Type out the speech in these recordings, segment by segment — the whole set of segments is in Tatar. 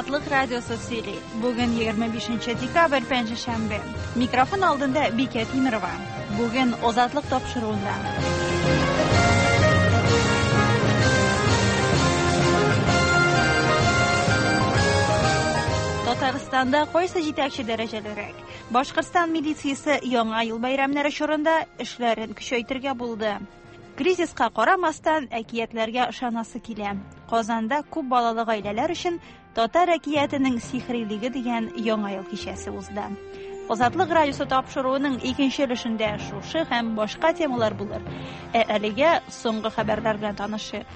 Азатлык радиосы сөйли. Бүген 25 декабрь пәнҗешәмбе. Микрофон алдында Бикә Тимерова. Бүген Азатлык тапшыруында. Татарстанда кайсы җитәкче дәрәҗәлерәк? Башкортстан милициясе яңа ел бәйрәмнәре чорында эшләрен көчәйтергә булды. Кризиска карамастан, әкиятләргә ышанасы килә. Казанда күп балалы гаиләләр өчен Татар әкиятенең сихрилеге дигән яңа ел кичәсе узды. Азатлык радиосы тапшыруының икенче өлешендә шушы һәм башка темалар булыр. Ә әлегә соңгы хәбәрләр белән танышыйк.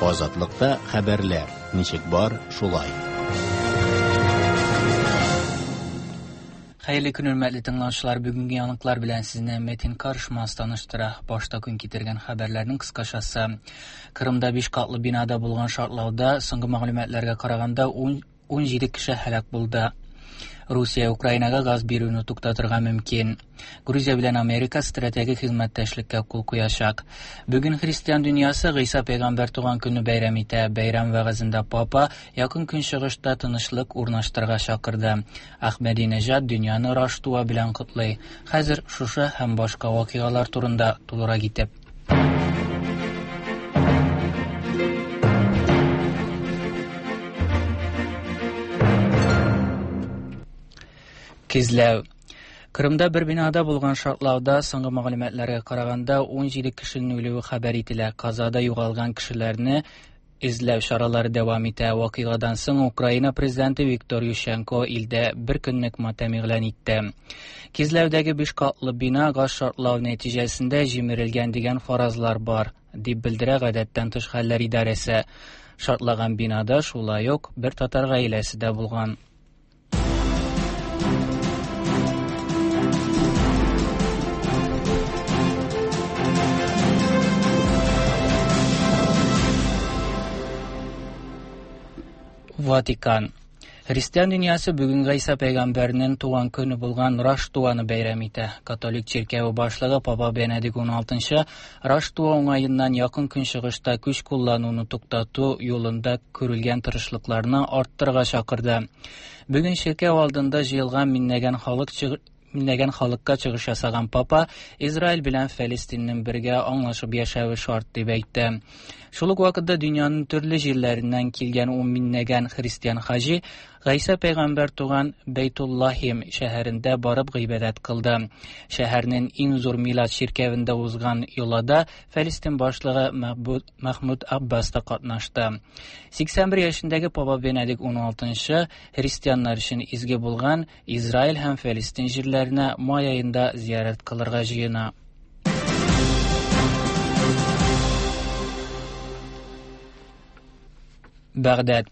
Азатлыкта хәбәрләр ничек бар, шулай. Хәерле көн, хөрмәтле тыңлаучылар. Бүгенге яңалыклар белән сезне Метин Карышмас таныштыра. Башта көн китергән хәбәрләрнең кыскачасы. Кырымда 5 катлы бинада булган шартлауда соңгы мәгълүматларга караганда 17 кеше һәлак булды. Русия Украинага газ бирүне туктатырга мөмкин. Грузия белән Америка стратегик хезмәттәшлеккә кул куячак. Бүген христиан дөньясы Гыйса пәйгамбәр туган көнне бәйрәм итә. Бәйрәм вәгазендә папа Якын Көнчыгышта тынычлык урнаштырырга чакырды. Әхмәдинежад дөньяны Раштуа белән котлый. Хәзер шушы һәм башка вакыйгалар турында тулырак итеп. Кизләү. Кырымда бер бинада булган шартлауда соңгы мәгълүматларга караганда 17 кешенең үлүе хәбәр ителә. Казада югалган кешеләрне эзләү чаралары дәвам итә. Вакыйгадан соң Украина президенты Виктор Ющенко илдә бер көнлек матәм игълан итте. Кизләүдәге биш катлы бина газ шартлау нәтиҗәсендә җимерелгән дигән фаразлар бар, дип белдерә гадәттән тыш хәлләр идарәсе. Шартлаган бинада шулай ук бер татар гаиләсе дә булган. Ватикан. Христиан дөньясы бүген Гайса пәйгамбәрнең туган көне булган Раштуаны бәйрәм итә. Католик чиркәве башлыгы Папа Бенедикт XVI Раштуа уңаеннан Якын Көнчыгышта көч куллануны туктату юлында күрелгән тырышлыкларны арттырырга чакырды. Бүген чиркәү алдында җыелган миңнәгән халык миңнәгән халыкка чыгыш ясаган папа Израиль белән Фәлестиннең бергә аңлашып яшәве шарт дип әйтте. Шул ук вакытта дөньяның төрле җирләреннән килгән ун миңнәгән христиан хаҗи Гайсә пәйгамбәр туган Бәйтуллахим шәһәрендә барып гыйбадәт кылды. Шәһәрнең иң зур милад чиркәвендә узган йолада Фәлестин башлыгы Мәхмүд Аббас та катнашты. 81 яшендәге Папа Бенедикт XVI христианнар өчен изге булган Израиль һәм Фәлестин җирләренә май аенда зиярәт кылырга җыена. Бәгъдәд.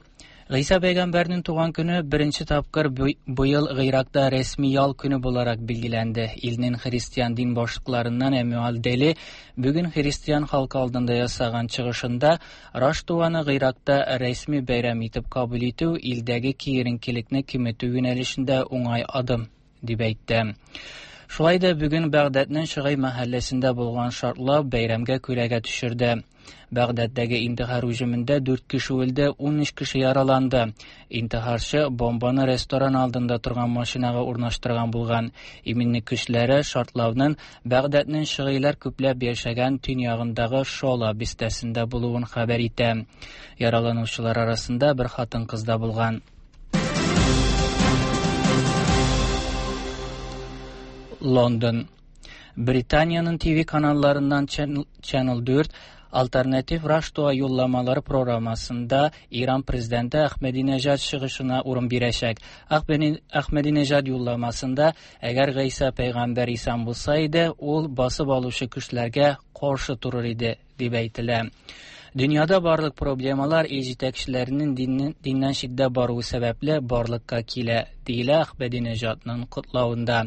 Гыйса пәйгамбәрнең туган көне беренче тапкыр быел Гыйракта рәсми ял көне буларак билгеләнде. Илнең христиан дин башлыкларыннан Эмюал Дели бүген христиан халкы алдында ясаган чыгышында Раштуаны Гыйракта рәсми бәйрәм итеп кабул итү илдәге киеренкелекне киметү юнәлешендә уңай адым дип әйтте. Шулай да бүген Бәгъдәднең Шыгай мәхәлләсендә булган шартлау бәйрәмгә күләгә төшерде. Бәгъдәддәге интихар һөҗүмендә 4 кеше үлде, 13 кеше яраланды. Интихарчы бомбаны ресторан алдында торган машинага урнаштырган булган. Иминлек көчләре шартлауның Бәгъдәднең шыгыйлар күпләп яшәгән төньягындагы Шола бистәсендә булуын хәбәр итә. Яраланучылар арасында бер хатын-кыз да булган. Лондон. Британиянең TV каналларыннан Channel 4 Alternatif Раштуа юлламалары программасында Иран президенты Әхмәдинежад чыгышына урын бирәчәк. Әхмәдинежад юлламасында әгәр Гайса пәйгамбәр исән булса иде, ул басып алучы көчләргә каршы торыр иде, дип әйтелә. Дөньяда барлык проблемалар ил җитәкчеләренең диннән читтә баруы сәбәпле барлыкка килә, диелә Әхмәдинежадның котлавында.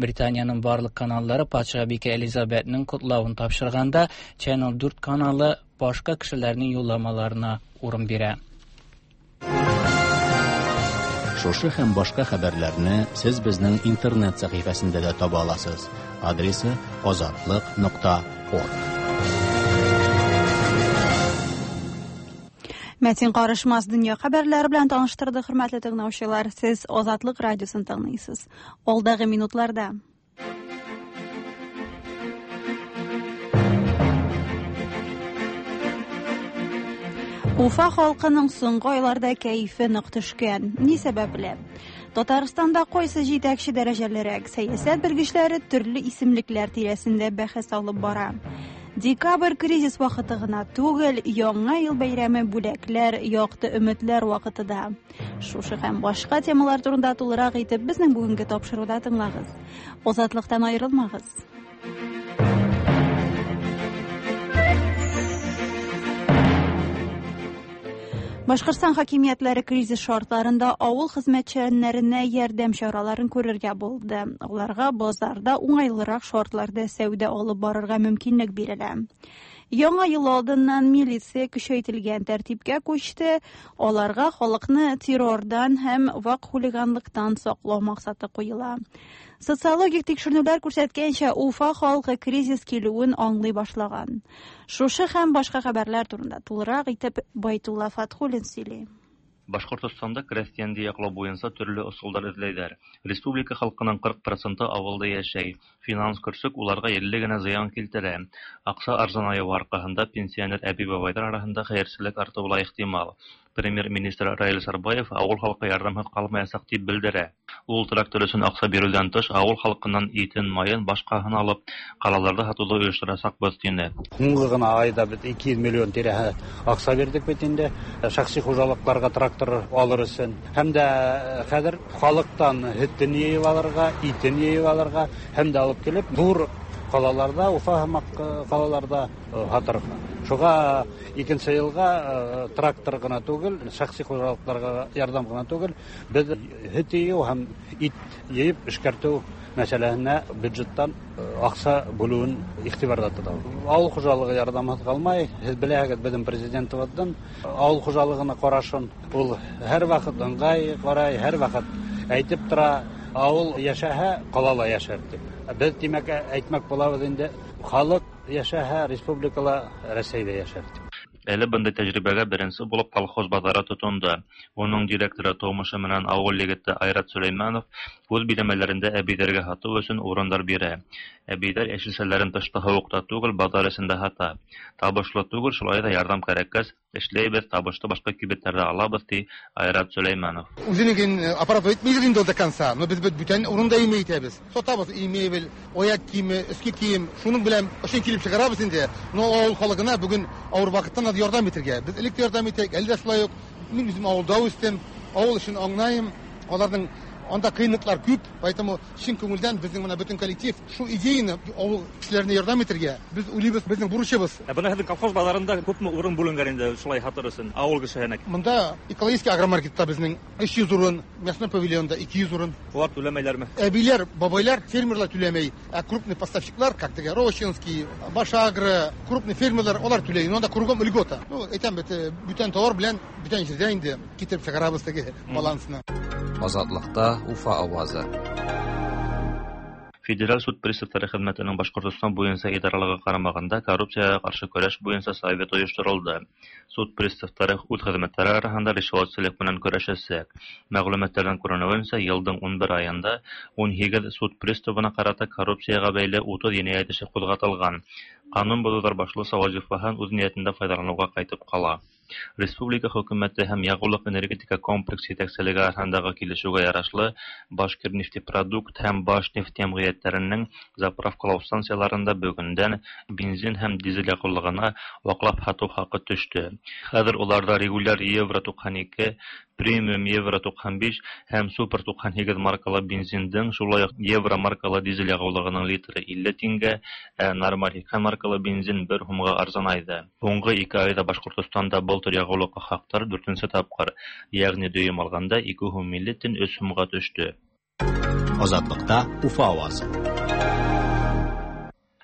Британиянең барлык каналлары патшабикә Элизабетның котлавын тапшырганда, Channel 4 каналы башка кешеләрнең юлламаларына урын бирә. Шушы һәм башка хәбәрләрне сез безнең интернет сәхифәсендә дә таба аласыз. Адресы azatliq.org. Мәтин Карышмас дөнья хәбәрләре белән таныштырды, хөрмәтле тыңлаучылар. Сез Азатлык радиосын тыңлыйсыз. Алдагы минутларда Уфа халкының соңгы айларда кәефе нык төшкән. Ни сәбәпле? Татарстанда кайсы җитәкче дәрәҗәлерәк? Сәясәт белгечләре төрле исемлекләр тирәсендә бәхәс алып бара. Декабрь кризис вакыты гына түгел, Яңа ел бәйрәме бүләкләр, якты өметләр вакыты да. Шушы һәм башка темалар турында тулырак итеп безнең бүгенге тапшыруда тыңлагыз. Азатлыктан аерылмагыз. Башкортстан хакимиятләре кризис шартларында авыл хезмәтчәннәренә ярдәм чараларын күрергә булды. Аларга базарда уңайлырак шартларда сәүдә алып барырга мөмкинлек бирелә. Яңа ел алдыннан милиция көчәйтелгән тәртипкә күчте. Аларга халыкны террордан һәм вак хулиганлыктан саклау максаты куела. Социологик тикшеренүләр күрсәткәнчә, Уфа халкы кризис килүен аңлый башлаган. Шушы һәм башка хәбәрләр турында тулырак итеп Байтулла Фатхуллин сөйли. Башкортостанда крәстиәнде яклау буенча төрле ысулдар эзләйләр. Республика халкының 40 проценты авылда яшәй. Финанс көрсек уларга илле генә зыян килтерә. Акча арзанаюы аркаһында пенсионер әби-бабайлар арасында хәерчелек артуы ла ихтимал. Премьер-министр Раил Сарбаев авыл халкы ярдәмһез калмаячак дип белдерә. Ул трактор өчен акча бирүдән тыш, авыл халкыннан итен, маен, башкаһын алып, ҡалаларҙа һатыуҙы ойошторасаҡбыҙ, тине. Һуңғы ғына айҙа беҙ 200 миллион тирәһе аҡса бирҙек бит инде шәхси хужалыҡтарға трактор алыр өсөн. Һәм дә хәҙер халыҡтан һөтөн йыйып алырға, итен йыйып алырға, һәм дә алып килеп ҙур ҡалаларҙа, Уфа һымаҡ ҡалаларҙа һатырға. Шуға икенсе йылға трактор ғына түгел, шәхси хужалыҡтарға ярҙам ғына түгел, беҙ һөт йыйыу һәм ит йыйып эшкәртеү мәсьәләһенә бюджеттан аҡса бүлеүен иғтибарҙа тотабыҙ. Ауыл хужалығы ярҙамһыҙ ҡалмай. Һеҙ беләһегеҙ, беҙҙең президентыбыҙҙың ауыл хужалығына ҡарашын ул һәр ваҡыт ыңғай ҡарай, һәр ваҡыт әйтеп тора, ауыл йәшәһә, ҡала ла йәшәр тип. Беҙ, тимәк, әйтмәк булабыҙ инде, халыҡ йәшәһә, республикала, Рәсәйҙә йәшәр тип. Әле бындай тәжрибәгә беренсе булып колхоз баҙары тотондо. Уның директоры тыумышы менән ауыл егете Айрат Сөләймәнов үҙ биләмәләрендә әбейҙәргә һатыу өсөн урындар бирә. Әбейҙәр йәшелсәләрен тышта һыуыҡта түгел, баҙар эсендә һата. Табышлы түгел, шулай ҙа ярҙам кәрәккәс, эшләйбеҙ, табышты башҡа кибеттәрҙә алабыҙ, ти Айрат Сөләймәнов. Үҙенең аппарат итмәйҙер инде до конца, но беҙ бит бүтән урында имей итәбеҙ. Сатабыҙ и мебель, аяҡ кейеме, өҫкө кейем, шуның белән ошон килеп сығарабыҙ инде. Но ауыл халыҡына бөгөн ауыр ваҡыттан ярҙам итергә. Беҙ элек тә ярҙам итәйек, әле дә шулай уҡ. Мин үҙем ауылда үҫтем, ауыл эшен аңлайым. Аларҙың анда ҡыйынлыҡтар күп, поэтому чын күңелдән беҙҙең бына бөтөн коллектив шул идеяны ауыл кешеләренә ярҙам итергә беҙ уйлайбыҙ, беҙҙең бурысыбыҙ. Ә бына һеҙҙең колхоз баҙарында күпме урын бүленгән инде шулай һатыр өсөн ауыл кешеһенә? Бында экологический агромаркетта беҙҙең 300 урын, мясной павильонда 200 урын. Улар түләмәйләрме? Әбиләр, бабайлар, фермерлар түләмәй, ә крупный поставщиклар, как теге Рощинский, Башагро, крупный фермерлар, улар түләй. Но анда кругом льгота. Ну, әйтәм бит, бүтән товар белән бүтән җирдә инде китереп чыгарабыз теге балансны. Азатлыкта Уфа авазы. Федераль суд приставтары хеҙмәтенең Башҡортостан буйынса идаралығы ҡарамағында коррупцияға ҡаршы көрәш буйынса совет ойошторолдо. Суд приставтары үҙ хеҙмәттәре араһында ришүәтселек менән көрәшәсәк. Мәғлүмәттәрҙән күренеүенсә, йылдың 11 айында 18 суд приставына ҡарата коррупцияға бәйле 30 енәйәт эше ҡуҙғатылған. Ҡанун боҙоуҙар башлыса вазифаһын үҙ ниәтендә файҙаланыуға ҡайтып ҡала. Республика хөкүмәте һәм яғыулыҡ энергетика комплекс етәкселеге араһындағы килешеүгә ярашлы Башкирнефтепродукт һәм Башнефть йәмғиәттәренең заправкалау станцияларында бөгөндән бензин һәм дизель яғыулығына ваҡлап һатыу хаҡы төштө. Хәҙер уларҙа регуляр евро 92, премиум евро 95 һәм супер 98 маркалы бензиндең, шулай уҡ евро маркалы дизель яғыулығының литры 50 тиңгә, ә нормаль 80 маркалы бензин 1 һумға арзанайҙы. Һуңғы 2 айҙа Башҡортостанда был төр яғыулыҡҡа хаҡтар 4-нсе тапҡыр, йәғни дөйөм алғанда 2 һум 50 тин 3 һумға төштө. Азатлыкта Уфа авазы.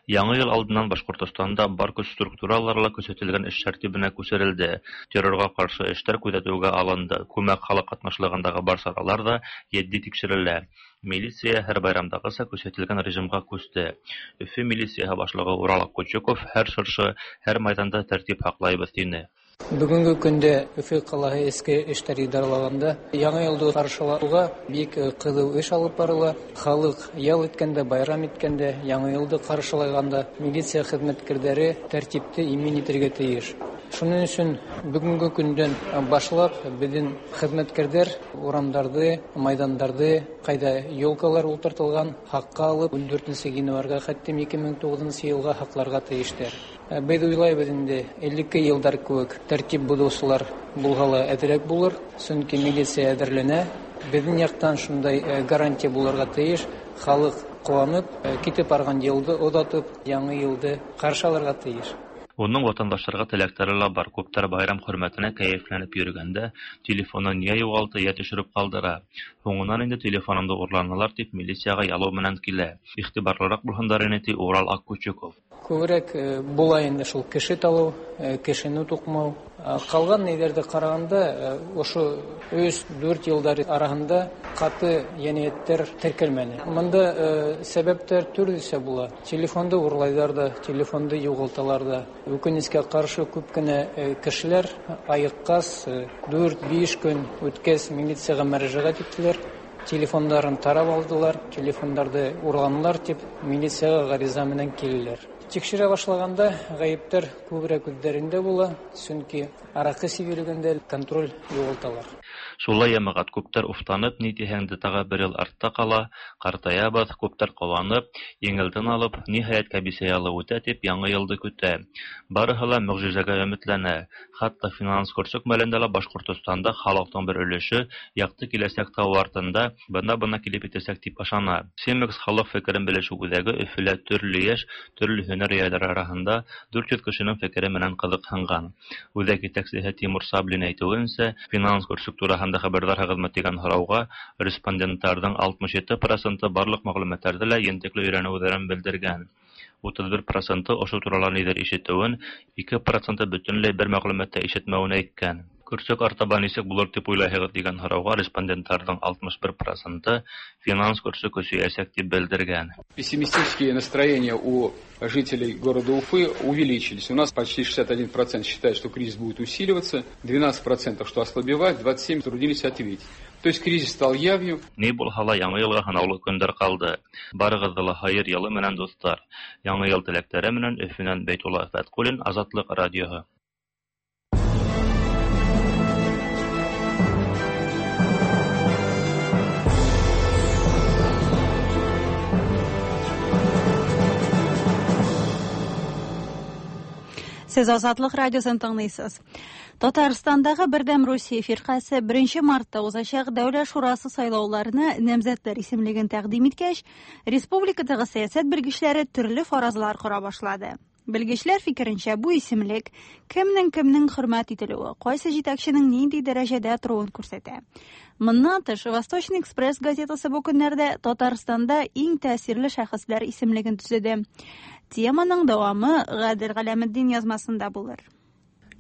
Яңа ел алдыннан Башкортостанда бар көч структуралары ла көсәйтелгән эш тәртибенә күсерелде. Террорга каршы эштәр күзәтүгә алынды. Күмәк халык катнашлыгындагы бар чаралар да етди тикшерелә. Милиция һәр байрамдагыча көсәйтелгән режимга күчте. Өфө милицияһы башлыгы Урал Аккучуков һәр чыршы, һәр майданда тәртип һаклайбыз тине. Бүгенге көндә Өфө ҡалаһы эске эштәр идаралығында яңы йылды ҡаршылауға бик ҡыҙыу эш алып барыла. Халыҡ ял иткәндә, байрам иткәндә, яңы йылды ҡаршылағанда милиция хеҙмәткәрҙәре тәртипте имин итергә тейеш. Шуның өсөн бөгөнгө көндән башлап беҙҙең хеҙмәткәрҙәр урамдарҙы, майҙандарҙы, ҡайҙа елкалар ултыртылған, һаҡҡа алып 14 ғинуарға хәттем 2009 йылға һаҡларға тейештәр. Беҙ уйлайбыҙ инде, элекке йылдар кеүек тәртип боҙоусылар булһа ла әҙерәк булыр, сөнки милиция әҙерләнә. Беҙҙең яҡтан шундай гарантия булырға тейеш, халыҡ ҡыуанып, китеп барған йылды оҙатып, яңы йылды ҡаршы алырға тейеш. Уның ватандаштарға теләктәре лә бар. Күптәр байрам хөрмәтенә кәйефләнеп йөрөгәндә телефонын йә юғалта, йә төшөрөп ҡалдыра. Һуңынан инде телефонымды урланылар тип милицияға ялыу менән килә. Иғтибарлыраҡ булһындар ине, ти Урал Аккучуков. Күберәк була инде шул кеше талау, кешене туҡмау. Ҡалған нейҙәрҙе ҡарағанда, ошо 3-4 йылдар араһында ҡаты енәйәттәр теркәлмәне. Бында сәбәптәр төрлөсә була. Телефонды урлайҙар ҙа, телефонды юғалталар ҙа. Үкенескә ҡаршы күп кенә кешеләр айыҡҡас 4-5 көн үткәс милицияға мөрәжәғәт иттеләр. Телефондарын тарап алдылар, телефондарҙы урланылар тип милицияға ғариза менән килделәр. Тикшерә башлағанда ғәйептәр күберәк үҙҙәрендә була, сөнки араҡы сибелгәндә контроль юғалталар. Шулай йәмәғәт, күптәр уфтанып, ни тиһәң дә тағы бер йыл артта ҡала, ҡартаябыҙ, күптәр ҡыуанып, еңелдән алып, ниһайәт кәбисә ялы үтә тип яңы йылды көтә. Барыһы ла мөғжизәгә өмөтләнә. Хатта финанс көрсөк мәлендә лә Башҡортостанда халыҡтың бер өлөшө яҡты киләсәк тау артында бына-бына килеп етәсәк тип ышана. Семекс халыҡ фекерен белешеү үҙәге Өфөлә төрлө йәш, төрлө һөнәр эйәләре араһында 400 кешенең фекере менән ҡыҙыҡһынған. Үҙәк етәксеһе Тимур Саблин әйтеүенсә, финанс көрсөк тураһында хәбәрҙарһығыҙмы тигән һорауға респонденттарҙың 67% барлыҡ мәғлүмәттәрҙе лә ентекле өйрәнеүҙәрен белдергән. 31% ошо турала ниҙер ишетеүен, 2% бөтөнләй бер мәғлүмәт тә ишетмәүен әйткән. Көрсөк артаба нисек булыр тип уйлайһығыҙ тигән һорауға респонденттарҙың 61% финанс көрсөк көсәйәсәк тип белдергән. Пессимистические настроения у жителей города Уфы увеличились. У нас почти 61% считает, что кризис будет усиливаться, 12% что ослабевать, 27% трудились ответить. То есть кризис стал явью. Ни булһа ла яңы йылға һанаулы көндәр ҡалды. Барығыҙҙы ла хайыр йылы менән, дуҫтар. Яңы йыл теләктәре менән Өфөнән Бәйтулла Фәтҡуллин, Азатлыҡ радиоһы. Сез Азатлык радиосын тыңлыйсыз. Татарстандагы Бердәм Русия фирҡәсе 1 мартта узачак Дәүләт шурасы сайлауларына намзәтләр исемлеген тәкъдим иткәч, республикадагы сәясәт белгечләре төрле фаразлар кора башлады. Белгечләр фикеренчә, бу исемлек кемнең хөрмәт ителүе, кайсы җитәкченең нинди дәрәҗәдә торуын күрсәтә. Моннан тыш, Восточный экспресс газетасы бу көннәрдә Татарстанда иң тәэсирле шәхесләр исемлеген төзеде. Теманың дәвамы Гадел Галәметдин язмасында булыр.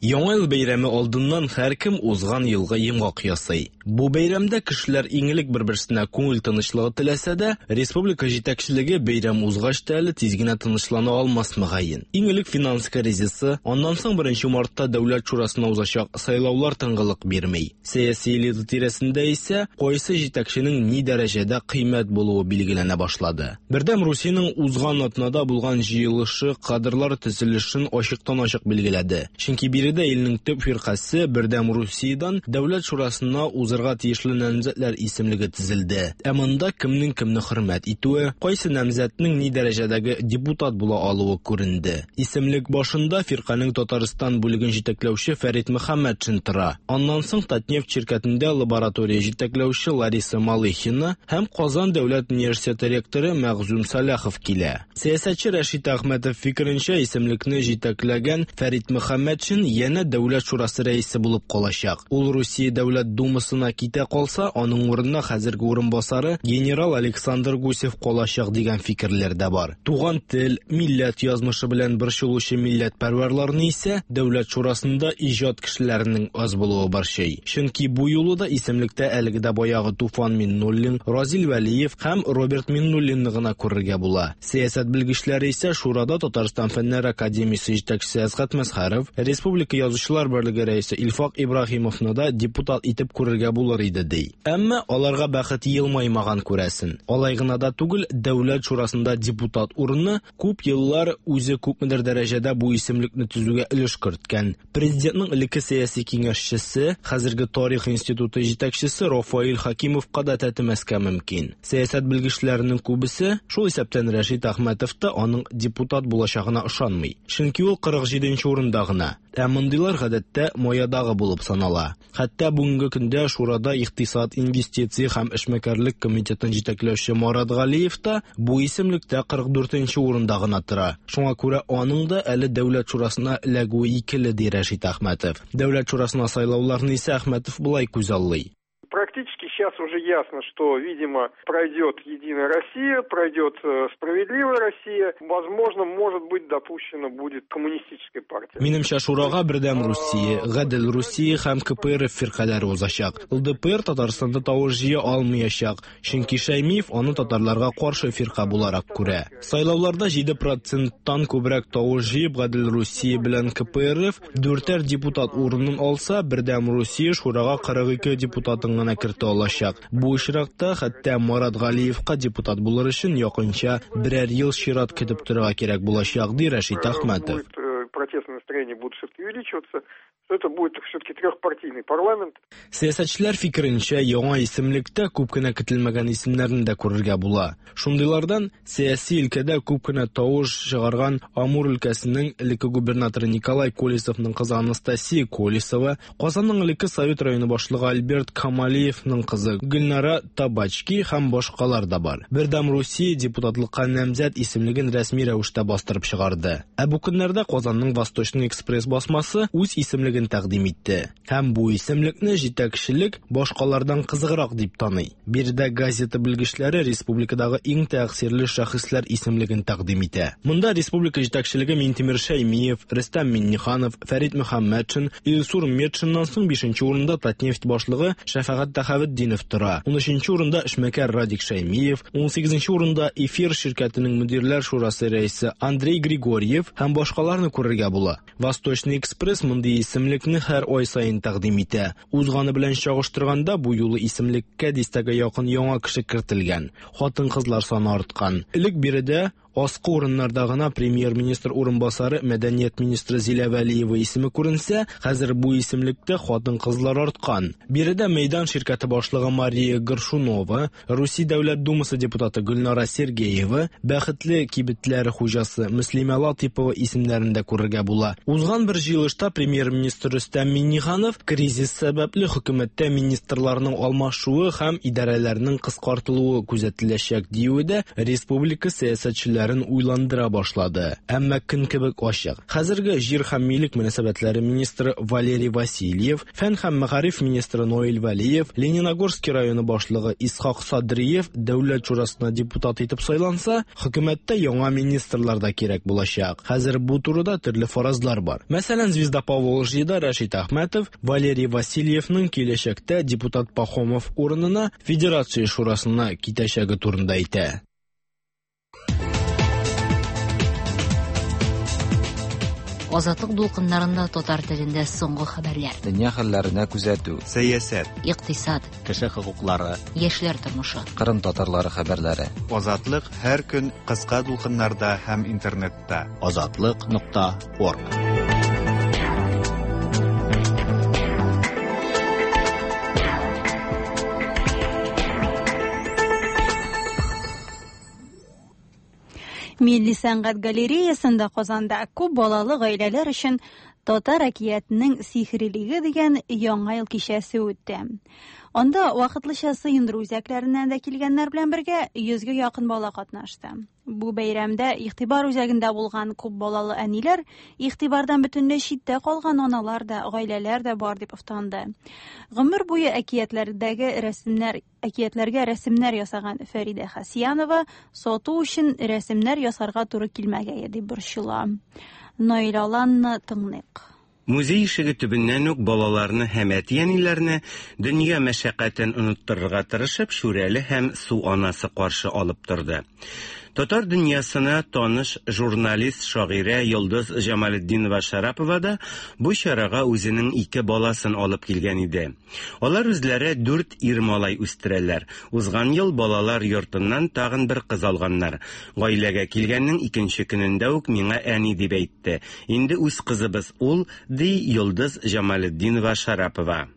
Яңа ел бәйрәме алдыннан һәркем узган елга йомгак ясый. Бу бәйрәмдә кешеләр иң элек бер-берсенә күңел тынычлыгы теләсә дә, республика җитәкчелеге бәйрәм узгач та әле тиз генә тынычлана алмас мөгаен. Иң элек финанс кризисы, аннан соң 1 мартта Дәүләт шурасына узачак сайлаулар тынгылык бирмей. Сәяси элита тирәсендә исә кайсы җитәкченең ни дәрәҗәдә кыйммәт булуы билгеләнә башлады. Бердәм Русиянең узган атнада булган җыелышы кадрлар төзелешен ачыктан-ачык билгеләде. Чөнки биредә илнең төп фирҡәсе Бердәм Русиядән Дәүләт шурасына узырга тиешле намзәтләр исемлеге төзелде. Ә монда кемнең кемне хөрмәт итүе, кайсы намзәтнең ни дәрәҗәдәге депутат була алуы күренде. Исемлек башында фирҡәнең Татарстан бүлеген җитәкләүче Фәрит Мөхәммәтшин тора. Аннан соң Татнефть ширкәтендә лаборатория җитәкләүче Лариса Малыхина һәм Казан дәүләт университеты ректоры Мәгъзүм Саляхов килә. Сәясәтче Рәшит Әхмәтов фикеренчә, исемлекне җитәкләгән Фәрит Мөхәммәтшин янә Дәүләт шурасы рәисе булып калачак. Ул Русия Дәүләт Думасына китә калса, аның урынына хәзерге урынбасары генерал Александр Гусев калачак дигән фикерләр дә бар. Туган тел, милләт язмышы белән борчылучы милләтпәрвәрләрне исә Дәүләт шурасында иҗат кешеләренең аз булуы борчый. Чөнки бу юлы да исемлектә әлеге дә баягы Туфан Миннуллин, Разил Вәлиев һәм Роберт Миннуллинны гына күрергә була. Сәясәт белгечләре исә шурада Татарстан Фәннәр академиясе җитәкчесе Әсгать Мәзһәров, Республика Язучылар берлеге рәисе Илфак Ибраһимовны да депутат итеп күрергә булыр иде, ди. Әмма аларга бәхет елмаймаган, күрәсен. Алай гына да түгел, Дәүләт шурасында депутат урыны күп еллар үзе күпмедер дәрәҗәдә бу исемлекне төзүгә өлеш керткән Президентның элекке сәяси киңәшчесе, хәзерге Тарих институты җитәкчесе Рафаил Хакимовка да тәтемәскә мөмкин. Сәясәт белгечләренең күбесе, шул исәптән Рәшит Әхмәтов та аның депутат булачагына ышанмый. Чөнки ул 47 нче урында гына. Ә мондыйлар гадәттә маядагы булып санала. Хәтта бүгенге көндә Шурада икътисад, инвестиция һәм эшмәкәрлек комитетын җитәкләүче Марат Галиев та бу исемлектә 44 нче урында гына тора. Шуңа күрә аның да әле Дәүләт шурасына эләгүе икеле, ди Рәшит Әхмәтов. Дәүләт шурасына сайлауларны исә Әхмәтов болай күзаллый. Практически сейчас уже ясно, что, видимо, пройдет Единая Россия, пройдет э, Справедливая Россия. Возможно, может быть, допущена будет Коммунистическая партия. Минемчә, шурага Бердәм Русия, Гадел Русия һәм КПРФ фиркаләре узачак. ЛДПР Татарстанда тавыш җыя алмыячак, чөнки Шәймиев аны татарларга каршы фирка буларак күрә. Сайлауларда 7 проценттан күбрәк тавыш җыеп, Гадел Русия белән КПРФ Дүртәр депутат урынын алса, Бердәм Русия шурага 42 депутатын гына кертә алачак. Бу очракта хәтта Марат Галиевка депутат булыр өчен якынча берәр ел чират көтеп торырга кирәк булачак, ди Рәшит Әхмәтов. Э, протестные настроения будут все-таки увеличиваться, что это будет все-таки трехпартийный парламент. Сәясәтчеләр фикеренчә, яңа исемлектә күп кенә көтелмәгән исемнәрне дә күрергә була. Шундыйлардан сәяси өлкәдә күп кенә тавыш чыгарган Амур өлкәсенең элекке губернаторы Николай Колесовның кызы Анастасия Колесова, Казанның элекке Совет районы башлыгы Альберт Камалиевның кызы Гөлнара Табачки һәм башкалар да бар. Бердәм Русия депутатлыкка намзәт исемлеген рәсми рәвештә бастырып чыгарды. Ә бу көннәрдә Казанның Восточный экспресс басмасы үз исемлеген тәкъдим итте. Һәм бу исемлекне җитәкчелек башкалардан кызыграк дип таный. Биредә газета белгечләре республикадагы иң тәэсирле шәхесләр исемлеген тәкъдим итә. Монда республика җитәкчелеге Минтимер Шәймиев, Рөстәм Миңнеханов, Фәрит Мөхәммәтшин, Илсур Метшиннан соң бишенче урында Татнефть башлыгы Шәфәгать Тәхәветдинов тора. Унөченче урында эшмәкәр Радик Шәймиев, унсигезенче урында Эфир ширкәтенең мөдирләр шурасы рәисе Андрей Григорьев һәм башкаларны күрергә була. Восточный экспресс мондый исемлекне һәр ай саен тәкъдим итә. Узганы белән чагыштырганда, бу юлы исемлеккә дистәгә якын яңа кеше кертелгән. Хатын-кызлар саны арткан. Элек биредә аскы урыннарда гына премьер-министр урынбасары, мәдәният министры Зилә Вәлиева исеме күренсә, хәзер бу исемлектә хатын-кызлар арткан. Биредә Мәйдан ширкәте башлыгы Мария Горшунова, Русия Дәүләт Думасы депутаты Гөлнара Сергеева, Бәхетле кибетләре хуҗасы Мөслимә Латыйпова исемнәрен дә күрергә була. Узган бер җыелышта премьер-министр Рөстәм Миңнеханов кризис сәбәпле хөкүмәттә министрларның алмашуы һәм идарәләрнең кыскартылуы күзәтеләчәк диюе дә республика сәясәтчеләрен уйландыра башлады. Әмма көн кебек ачык. Хәзерге җир һәм милек мөнәсәбәтләре министры Валерий Васильев, Фән һәм мәгариф министры Наил Вәлиев, Лениногорский районы башлыгы Исхак Садриев Дәүләт шурасына депутат итеп сайланса, хөкүмәттә яңа министрлар да кирәк булачак. Хәзер бу турыда төрле фаразлар бар. Мәсәлән, Звезда Поволжьеда Рәшит Әхмәтов Валерий Васильевның киләчәктә депутат Пахомов урынына Федерация шурасына китәчәге турында әйтә. Азатлык дулкыннарында татар телендә соңгы хәбәрләр. Дөнья хәлләренә күзәтү. Сәясәт. Икътисад. Кеше хокуклары. Яшьләр тормышы. Кырым татарлары хәбәрләре. Азатлык һәр көн кыска дулкыннарда һәм интернетта. Азатлык нокта орг. Милли сәнгать галереясында Казанда күп балалы гаиләләр өчен Татар әкиятенең сихрилеге дигән Яңа ел кичәсе үтте. Анда вакытлыча сыендыру үзәкләреннән дә килгәннәр белән бергә йөзгә якын бала катнашты. Бу бәйрәмдә игътибар үзәгендә булган күп балалы әниләр, игътибардан бөтенләй читтә калган аналар да, гаиләләр дә бар дип офтанды. Гомер буе әкиятләрдәге рәсемнәр әкиятләргә рәсемнәр ясаган Фәридә Хәсьянова сату өчен рәсемнәр ясарга туры килмәгәе дип борчыла. Наил Аланны тыңлыйк. Музей ишеге төбеннән үк балаларны һәм әти-әниләрне дөнья мәшәкатен оныттырырга тырышып, Шүрәле һәм Су анасы каршы алып торды. Татар дөньясына таныш журналист, шагыйрә Йолдыз Җамалетдинова-Шарапова да бу чарага үзенең ике баласын алып килгән иде. Алар үзләре дүрт ир малай үстерәләр. Узган ел балалар йортыннан тагын бер кыз алганнар. Гаиләгә килгәннең икенче көнендә үк миңа әни дип әйтте. Инде үз кызыбыз ул, ди Йолдыз Җамалетдинова Шарапова.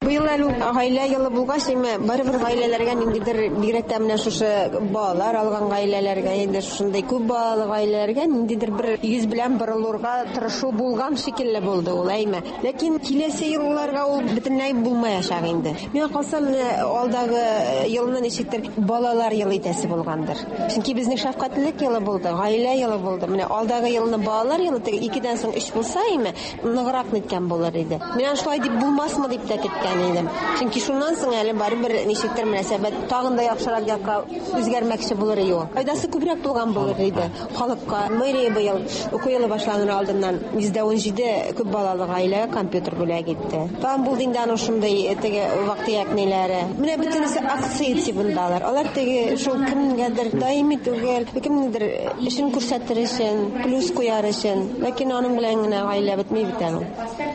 Быел әле гаилә елы булгач, әмма барыбер гаиләләргә ниндидер, бигрәк тә менә шушы балалар алган гаиләләргә, инде шушындый күп балалы гаиләләргә ниндидер бер йөз белән борылырга тырышу булган шикелле булды ул, әйме. Ләкин киләсе елларга ул бөтенләй булмаячак инде. Миңа калса, менә алдагы елны ничектер балалар елы итәсе булгандыр. Чөнки безнең шәфкатьлелек елы булды, гаилә елы булды. Менә алдагы елны балалар елы, теге икедән соң өч булса име, ныграк ниткән булыр иде. Мин аны шулай дип булмасмы дип тә көткән идем. Чөнки шуннан соң әле барыбер ничектер мөнәсәбәт тагын да яхшырак якка үзгәрмәкче булыр иде ул. Файдасы күбрәк булган булыр иде. Халыкка мэрия быел уку елы башланыр алдыннан 117 күп балалы гаиләгә компьютер бүләк итте. Тагын булды инде аның шундый э, теге вак-төяк ниләре. Менә бөтенесе акция тибындалар. Алар теге шул кемгәдер даими түгел, кемнедер эшен күрсәтер өчен, плюс куяр өчен. Ләкин аның белән генә гаилә бетми бит әле.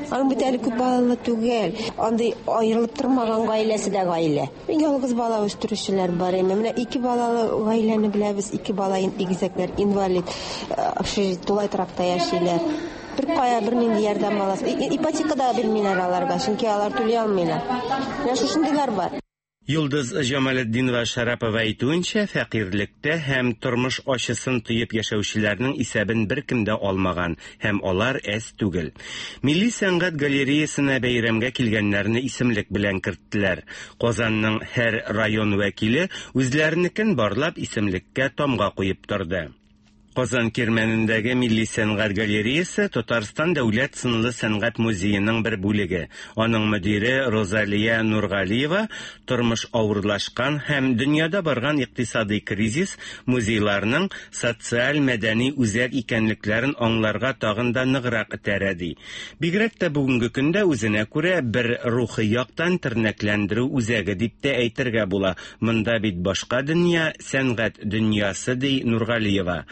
Аның бит әле күп балалы түгел. Андый аерылып тормаган гаиләсе дә гаилә. Ялгыз бала үстерүчеләр бар име. Менә ике балалы гаиләне беләбез, ике бала игезәкләр, инвалид, э, общежитие, тулай торакта яшиләр. Бер кая бернинди ярдәм аласы. Ипотека да бирмиләр аларга, чөнки алар түли алмыйлар. Менә шушындыйлар бар. Йолдыз Җамалетдинова Шәрапова әйтүенчә, фәкыйрьлектә һәм тормыш ачысын тоеп яшәүчеләрнең исәбен беркем дә алмаган һәм алар әз түгел. Милли сәнгать галереясына бәйрәмгә килгәннәрне исемлек белән керттеләр. Казанның һәр район вәкиле үзләренекен барлап исемлеккә тамга куеп торды. Казан Кирмәнендәге Милли сәнгать галереясе Татарстан дәүләт сынлы сәнгать музееның бер бүлеге. Аның мөдире Розалия Нургалиева тормыш авырлашкан һәм дөньяда барган икътисадый кризис музейларның социаль-мәдәни үзәк икәнлекләрен аңларга тагын да ныграк этәрә ди. Бигрәк тә бүгенге көндә үзенә күрә бер рухи яктан тернәкләндерү үзәге дип тә әйтергә була. Монда бит башка дөнья, сәнгать дөньясы, ди Нургалиева.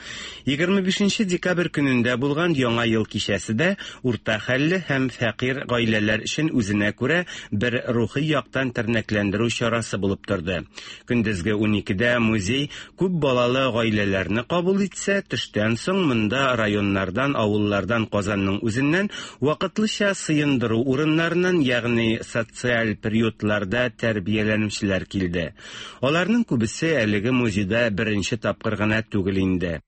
25 декабрь көнендә булган Яңа ел кичәсе дә урта хәлле һәм фәкыйрь гаиләләр өчен үзенә күрә бер рухи яктан тернәкләндерү чарасы булып торды. Көндезге уникедә музей күп балалы гаиләләрне кабул итсә, төштән соң монда районнардан, авыллардан, Казанның үзеннән вакытлыча сыендыру урыннарыннан, ягъни социаль приютларда тәрбияләнүчеләр килде. Аларның күбесе әлеге музейда беренче тапкыр гына түгел инде.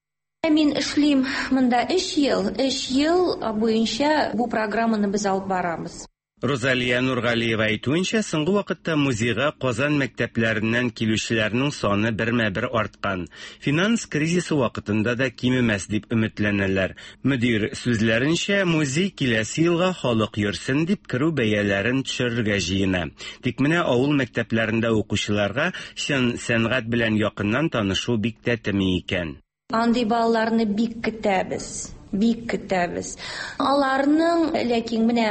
Мин эшлим монда өч ел. Өч ел буенча бу программаны без алып барабыз. Рузалия Нургалиева әйтүенчә, соңгы вакытта музейга Казан мәктәпләреннән килүчеләрнең саны бермә-бер арткан. Финанс кризисы вакытында да кимемәс дип өметләнәләр. Мөдир сүзләренчә, музей киләсе елга халык йөрсен дип керү бәяләрен төшерергә җыена. Тик менә авыл мәктәпләрендә укучыларга чын сәнгать белән якыннан танышу бик тәтеми икән. Андый балаларны бик көтәбез, бик көтәбез. Аларның, ләкин менә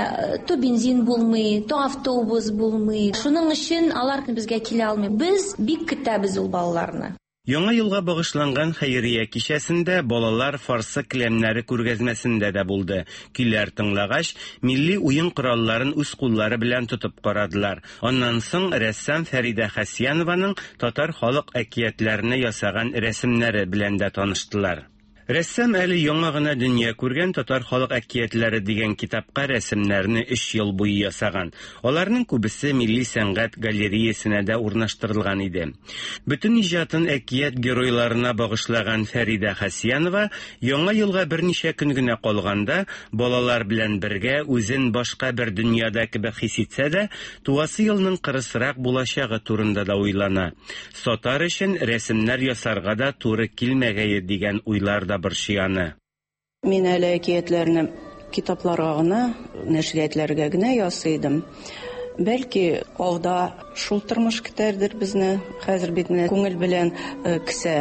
то бензин булмый, то автобус булмый. Шуның өчен алар безгә килә алмый. Без бик көтәбез ул балаларны. Яңа елга багышланган хәйрия кичәсендә балалар фарсы келәмнәре күргәзмәсендә дә булды. Көйләр тыңлагач, милли уен коралларын үз куллары белән тотып карадылар. Аннан соң рәссам Фәридә Хәсьянованың татар халык әкиятләренә ясаган рәсемнәре белән дә таныштылар. Рәссам әле яңа гына дөнья күргән Татар халык әкиятләре дигән китапка рәсемнәрне өч ел буе ясаган. Аларның күбесе Милли сәнгать галереясенә дә урнаштырылган иде. Бөтен иҗатын әкият геройларына багышлаган Фәридә Хәсьянова Яңа елга берничә көн генә калганда, балалар белән бергә үзен башка бер дөньяда кебек хис итсә дә, туасы елның кырысрак булачагы турында да уйлана. Сатар өчен рәсемнәр ясарга да туры килмәгәе дигән уйлар да борчый аны. Мин әле әкиятләрне китапларга гына, нәшриятләргә генә ясый идем. Бәлки, алда шул тормыш көтәрдер безне. Хәзер бит менә күңел белән э, кесә.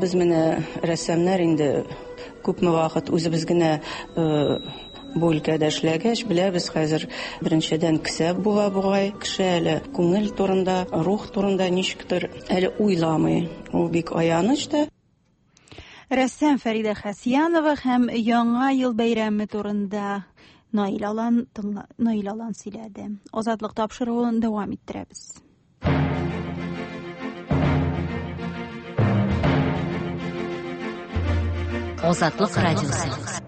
Без менә рәссамнар инде күпме вакыт үзебез генә э, бу өлкәдә эшләгәч, беләбез хәзер беренчедән кесә була бугай. Кеше әле күңел турында, рух турында ничектер әле уйламый. Ул бик аяныч та. Рәссам Фәридә Хәсьянова һәм Яңа ел бәйрәме турында Наил Алан, Наил Алан сөйләде. Азатлык тапшыруын дәвам иттерәбез. Азатлык радиосы.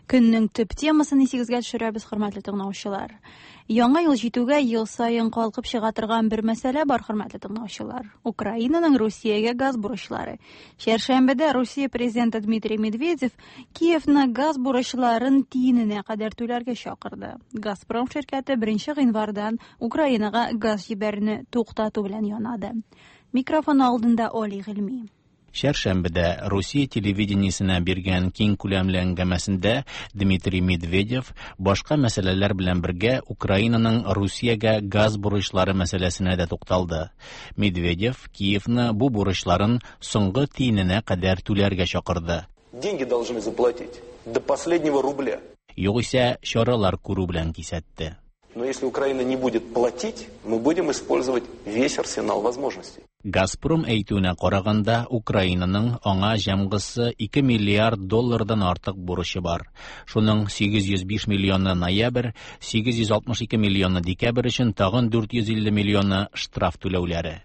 Көннең төп темасын исегезгә төшерәбез, хөрмәтле тыңлаучылар. Яңа ел җитүгә ел саен калкып чыга торган бер мәсьәлә бар, хөрмәтле тыңлаучылар. Украинаның Русиягә газ бурычлары. Чәршәмбедә Русия президенты Дмитрий Медведев Киевны газ бурычларын тиененә кадәр түләргә чакырды. Газпром ширкәте 1 гыйнвардан Украинага газ җибәрүне туктату белән янады. Микрофон алдында Оли Гыйльми. Чәршәмбедә Русия телевидениесенә биргән киң күләмле әңгәмәсендә Дмитрий Медведев башка мәсьәләләр белән бергә Украинаның Русиягә газ бурычлары мәсьәләсенә дә тукталды. Медведев Киевны бу бурычларын соңгы тиененә кадәр түләргә чакырды. Деньги должны заплатить до последнего рубля. Югыйсә чаралар күрү белән кисәтте. Но если Украина не будет платить, мы будем использовать весь арсенал возможностей. Газпром әйтүенә караганда, Украинаның аңа җәмгысы 2 миллиард доллардан артык бурычы бар. Шуның 805 миллионы ноябрь, 862 миллионы декабрь өчен тагын 450 миллионы штраф түләүләре.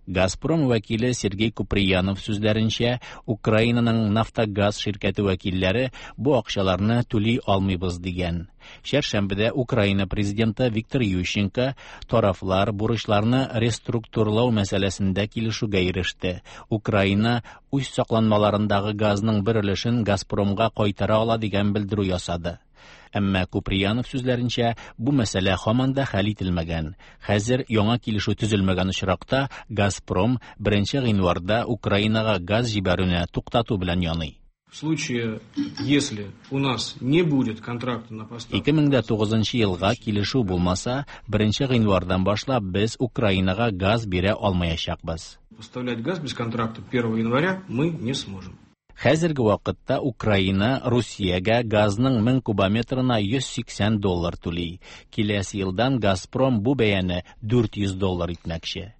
Газпром вәкиле Сергей Куприянов сүзләренчә, Украинаның Нафтогаз ширкәте вәкилләре бу акчаларны түли алмыйбыз дигән. Чәршәмбедә Украина президенты Виктор Ющенко тарафлар бурычларны реструктурлау мәсьәләсендә килешүгә иреште. Украина үз сакланмаларындагы газның бер өлешен Газпромга кайтара ала дигән белдерү ясады. Әмма Куприянов сүзләренчә, бу мәсьәлә һаман да хәл ителмәгән. Хәзер яңа килешү төзелмәгән очракта Газпром 1 гыйнварда Украинага газ җибәрүне туктату белән яный. В случае, если у нас не будет контракта на поставку... 2009 елга килешү булмаса, 1 гыйнвардан башлап без Украинага газ бирә алмаячакбыз. Поставлять газ без контракта 1 января мы не сможем. Хәзерге вакытта Украина Русиягә газның 1000 кубометрына 180 доллар түли. Киләсе елдан Газпром бу бәяне 400 доллар итмәкче.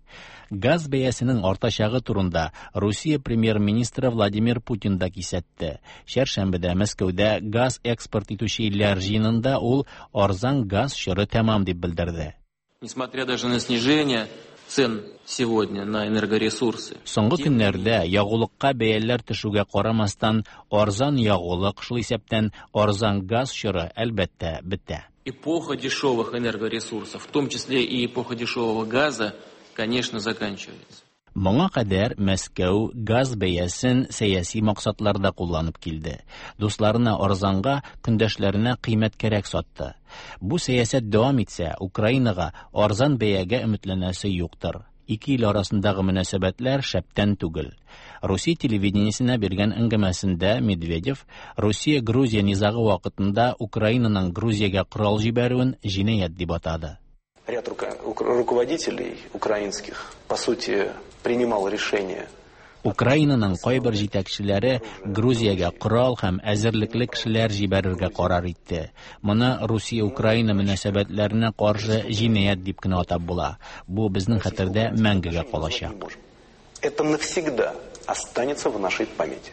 Газ бәясенең артачагы турында Русия премьер-министры Владимир Путин да кисәтте. Чәршәмбедә Мәскәүдә газ экспорт итүче илләр җыенында ул арзан газ чоры тәмам дип белдерде. Несмотря даже на снижение цен сегодня на энергоресурсы. Соңгы көннәрдә ягулыкка бәяләр төшүгә карамастан, арзан ягулык, шул исәптән арзан газ чоры, әлбәттә, бетә. Эпоха дешевых энергоресурсов, в том числе и эпоха дешевого газа, конечно, заканчивается. Моңа кадәр Мәскәү газ бәясен сәяси максатларда кулланып килде. Дусларына арзанга, көндәшләренә кыйммәткәрәк сатты. Бу сәясәт дәвам итсә, Украинага арзан бәягә өметләнәсе юктыр. Ике ил арасындагы мөнәсәбәтләр шәптән түгел. Русия телевидениесенә биргән әңгәмәсендә Медведев Русия-Грузия низагы вакытында Украинаның Грузиягә корал җибәрүен җинаять дип атады. Ряд руководителей украинских, по сути, принимал решение. Украинаның кайбер җитәкчеләре Грузиягә корал һәм әзерлекле кешеләр җибәрергә карар итте. Моны Русия-Украина мөнәсәбәтләренә каршы җинаять дип кенә атап була. Бу безнең хәтердә мәңгегә калачак. Это навсегда останется в нашей памяти.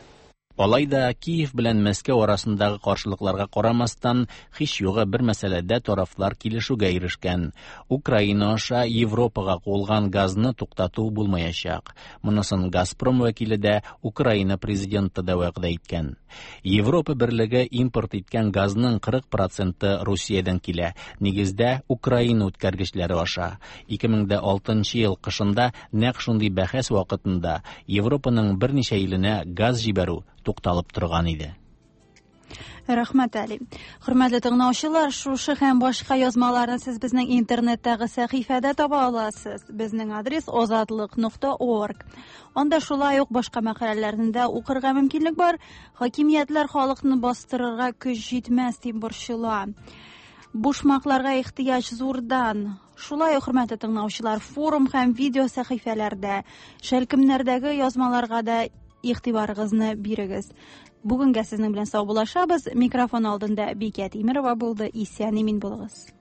Алай да Киев белән Мәскәү арасындагы каршылыкларга карамастан, һич югы бер мәсьәләдә тарафлар килешүгә ирешкән. Украина аша Европага куылган газны туктату булмаячак. Монысын Газпром вәкиле дә, Украина президенты да вәгъдә иткән. Европа берлеге импорт иткән газның 40 проценты Русиядән килә, нигездә Украина үткәргечләре аша. 2006 ел кышында нәкъ шундый бәхәс вакытында Европаның берничә иленә газ җибәрү тукталып торган иде. Рәхмәт, Али. Хөрмәтле тыңлаучылар, шушы һәм башка язмаларны сез безнең интернеттагы сәхифәдә таба аласыз. Безнең адрес озатлык.орг. Анда шулай ук башка мәкаләләрне дә укырга мөмкинлек бар. Хакимиятләр халыкны бастырырга көч җитмәс дип борчыла. Бушмакларга ихтыяҗ зурдан. Шулай ук, хөрмәтле тыңлаучылар, форум һәм видео сәхифәләрдә, шәлкемнәрдәге язмаларга да игътибарыгызны бирегез. Бүгенгә сезнең белән саубуллашабыз. Микрофон алдында Бикә Тимерова булды. Исән имин булыгыз.